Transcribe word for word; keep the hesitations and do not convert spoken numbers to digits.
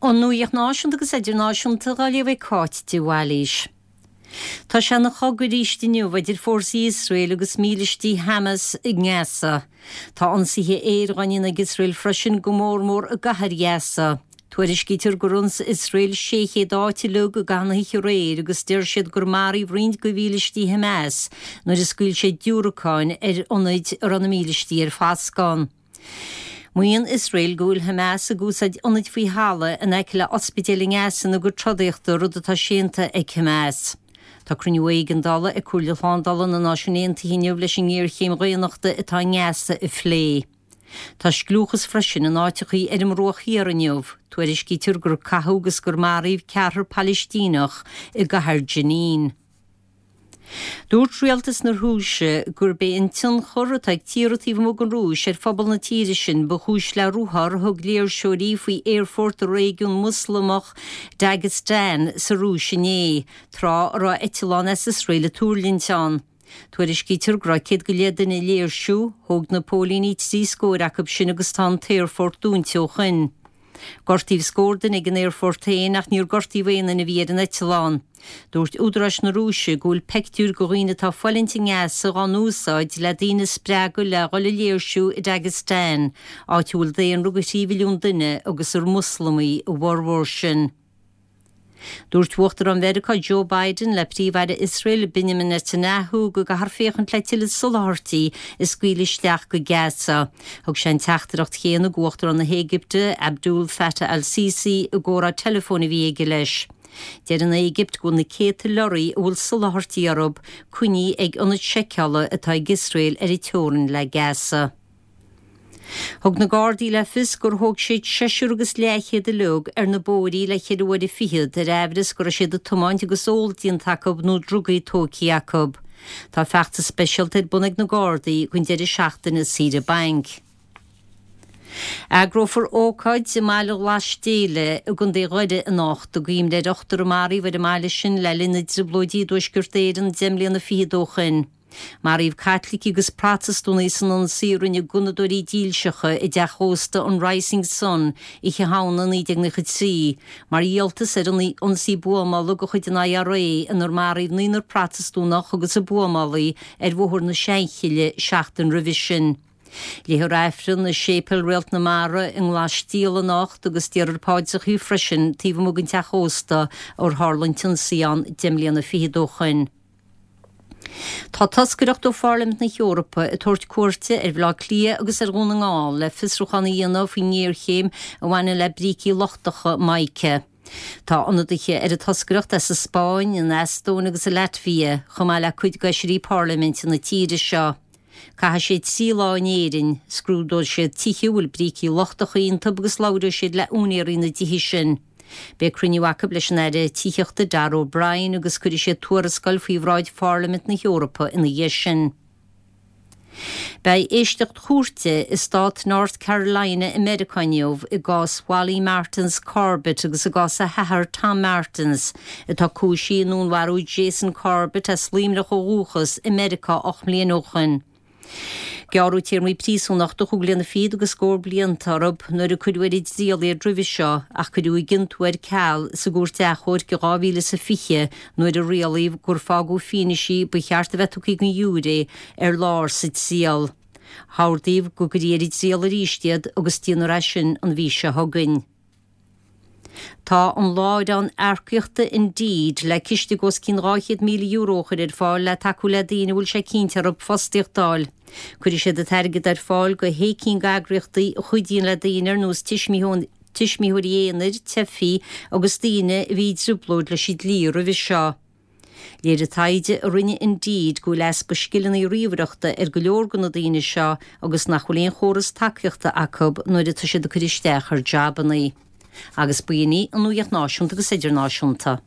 An nuacht náisiúnta agus idirnáisiúnta á léamh ag Cáit de Bhailís. Tá sé ina chogadh arís inniu idir fórsaí Iosrael agus mílístí Hamas i nGaza. Tá ionsaithe aeir á ndéanamh ag Iosrael freisin go mór mór i gcathair Ghaza. Tuairiscítear gur ionsaigh Iosrael sé chéad áit uilig i gcaitheamh na hoíche aréir agus deir siad gur maraíodh roinnt de mhílístí Hamas nuair a scaoil siad diúracáin ar ionaid a raibh na mílístí ar foscadh ann. Maíonn Iosrael go bhfuil Hamas ag úsáid ionaid faoi thalamh in aice le ospidéil i nGaza ina gcuid trodaíochta rud atá séanta ag Hamas. Tá cruinniú éigeandála ag Comhairle Shlándála na Náisiún Aontaithe inniu leis an ngéarchéim dhaonnachta atá i nGaza a phlé. Tá scliúchas freisin in áiteachaí ar an mBruach Thiar inniu, tuairiscítear gur caitheadh agus gur maraíodh ceathrar Palaistíneach i gcathair Jenin. Dúirt rialtas na Rúise gurb é an tionchar atá ag tíortha taobh amuigh den Rúis ar phobal na tíre sin ba chúis le ruathar a thug léirseoirí faoi aerfort i réigiún Moslamach Dagestan sa Rúis inné, tráth a raibh eitleán as Iosrael ag tuirlingt ann. Tuairiscítear go raibh céad go leith duine ag léirsiú, thóg na póilíní trí scór acu sin agus tá an t-aerfort dúnta ó shin. Gortaíodh scór duine ag an aerfort féin ach níor gortaíodh aon duine a bhí ar an eitleán. Dúirt údaráis na Rúise go bhfuil peictiúir de dhaoine atá ag fulaingt i nGaza á n-úsáid le daoine a spreagadh le dhul ag léirsiú i Dagestan, áit a bhfuil daonra de thrí mhilliún duine agus ar Moslamaigh a bhformhór sin. Dúirt Uachtarán Mheiriceá Joe Biden le Príomh-Aire Iosrael Benjamin Netanyahu go gcaithfear féachaint le tuilleadh soláthairtí a scaoileadh isteach go Gaza. Thug sé an teachtaireacht chéanna d'Uachtarán na hÉigipte Abdul Fattah al-Sisi i gcomhrá teileafóin a bhí aige leis. Deir an Éigipt go bhfuil na céadta leoraí a bhfuil soláthairtí orthu coinnithe ag ionad seiceála atá ag Iosrael ar an teorainn le Gaza. Thug na Gardaí le fios gur thóg siad seisear agus leathchéad uilig ar na bóithrí le ceithre huaire fichead ar aimhreas go raibh siad ag tiomáint agus ól déanta acu nó drugaí tógtha acu. Tá feachtas speisialta ar bun ag na Gardaí don deireadh seachtaine saoire bainc. Eagrófar ócáid i mBaile Ghlas Déile i gContae Dhoire anocht i gcuimhne ar ochtar a maraíodh ar an mbaile sin le linn na dtrioblóidí i dTuaisceart Éireann deich mbliana fichead ó shin. Maraíodh Caitlicigh agus Protastúnaigh san ionsaí a rinne gunnadóirí dílseacha i dteach ósta an Rising Sun Oíche Shamhna naoi déag nócha trí, mar dhíoltas ar an ionsaí buamála de chuid an IRA inar maraíodh naonúr Protastúnach agus an buamálaí ar Bhóthar na Seanchille seachtain roimhe sin. Léifear Aifreann i Séipéal Réalt na Mara i nGlas Stiall anocht agus déarfar paidreacha freisin taobh amuigh den teach ósta ar tharla an t-ionsaí ann deich mbliana fichead ó shin. Tá toscaireacht ó Pharlaimint na hEorpa ag tabhairt cuairte ar Bhaile Átha Cliath agus ar Dhún na nGall le fiosrúchán a dhéanamh faoin ngéarchéim a bhaineann le brící lochtacha mica. Tá ionadaithe ar an toscaireacht as an Spáinn, an Eastóin agus an Laitvia, chomh maith le cuid d'fheisirí parlaiminte na tíre seo. Caithfidh siad trí lá in Éirinn, scrúdóidh siad tithe a bhfuil brící lochtacha iontu agus labhróidh siad le úinéirí na dtithe sin. Beidh cruinniú acu leis an Aire Tithíochta Darragh O'Brien agus cuirfidh siad tuarascáil faoi bhráid Pharlaimint na hEorpa ina dhiaidh sin. Beidh éisteacht chúirte i stát North Carolina i Meiriceá inniu i gcás Wally Martins Corbett agus i gcás a hathar Tom Martins, atá cúisithe i ndúnmharú Jason Corbett as Luimneach ó dhúchas i Meiriceá ocht mbliana ó shin. Gearradh téarmaí príosúnachta chúig bliana fichead agus scór blianta orthu nuair a cuireadh ar a dtriail iad roimhe seo ach cuireadh a gciontú ar ceal sa gcúirt achomhairc i dhá mhíle is a fiche nuair a rialaíodh gur fágadh fianaise ba cheart a bheith tugtha don ghiúiré ar lár sa triail. Hordaíodh go gcuirfí ar a dtriail arís iad agus déanfar é sin an mhí seo chugainn. Tá an láithreán earcaíochta Indeed le ciste os cionn dhá chéad míle euro a chur ar fáil le tacú le daoine a bhfuil sé cinnte orthu fostaíocht a fháil. Cuirfidh siad an t-airgead ar fáil go shé cinn d'eagraíochtaí a chuidíonn le daoine ar nós tuismitheoirí aonair, teifigh agus daoine a bhí i dtrioblóid leis an dlí roimhe seo. Léirigh taighde a rinne Indeed go bhfuil easpa scileanna ríomhaireachta ar go leor de na daoine seo agus nach bhfuil aon chóras tacaíochta acu nuair atá siad ag cur isteach ar jabanna. Agus b'in í an nuacht náisiúnta agus idirnáisiúnta.